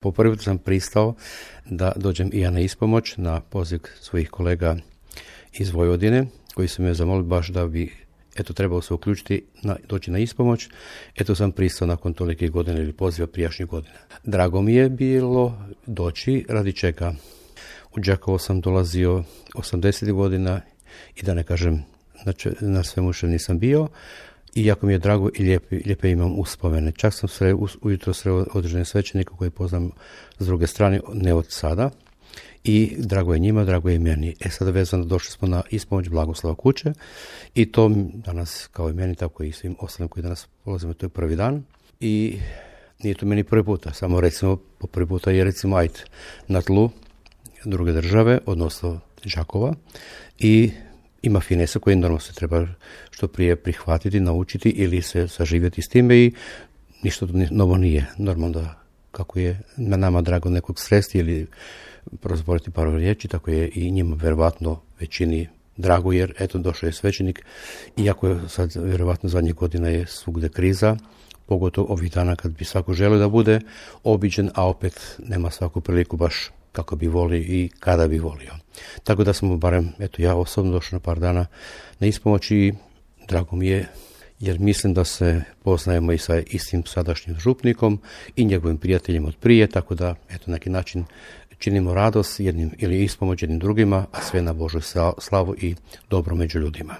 Po prvi put sam pristao da dođem i ja na ispomoć na poziv svojih kolega iz Vojvodine, koji su me zamolili baš da bi trebao se uključiti, doći na ispomoć. Sam pristao nakon tolike godine ili poziva prijašnjih godina. Drago mi je bilo doći, radi čega. U Đakovo sam dolazio 80 godina i da ne kažem na svemu što nisam bio. I jako mi je drago i lijepe imam uspomene. Čak sam ujutro sreo određene svećenike koje poznam s druge strane, ne od sada. I drago je njima, drago je i meni. Sada vezano došli smo na ispomoć Blagoslava Kuće i to danas kao i meni, tako i svim ostalim koji danas polazimo, to je prvi dan. I nije to meni prvi puta, samo recimo po prvi puta je recimo na tlu druge države, odnosno Đakova, i ima finesa koje normalno se treba što prije prihvatiti, naučiti ili se saživjeti s time i ništa novo nije. Normalno da kako je na nama drago nekog sresti ili prozboriti par riječi, tako je i njima vjerovatno većini drago jer došao je svećenik, iako je sad vjerovatno zadnjih godina je svugdje kriza, pogotovo ovih dana kad bi svako želio da bude obiđen, a opet nema svaku priliku baš kako bi volio i kada bi volio. Tako da smo barem, ja osobno došao na par dana na ispomoć i drago mi je jer mislim da se poznajemo i sa istim sadašnjim župnikom i njegovim prijateljima od prije, tako da na neki način činimo radost jednim ili ispomoć jednim drugima, a sve na Božju slavu i dobro među ljudima.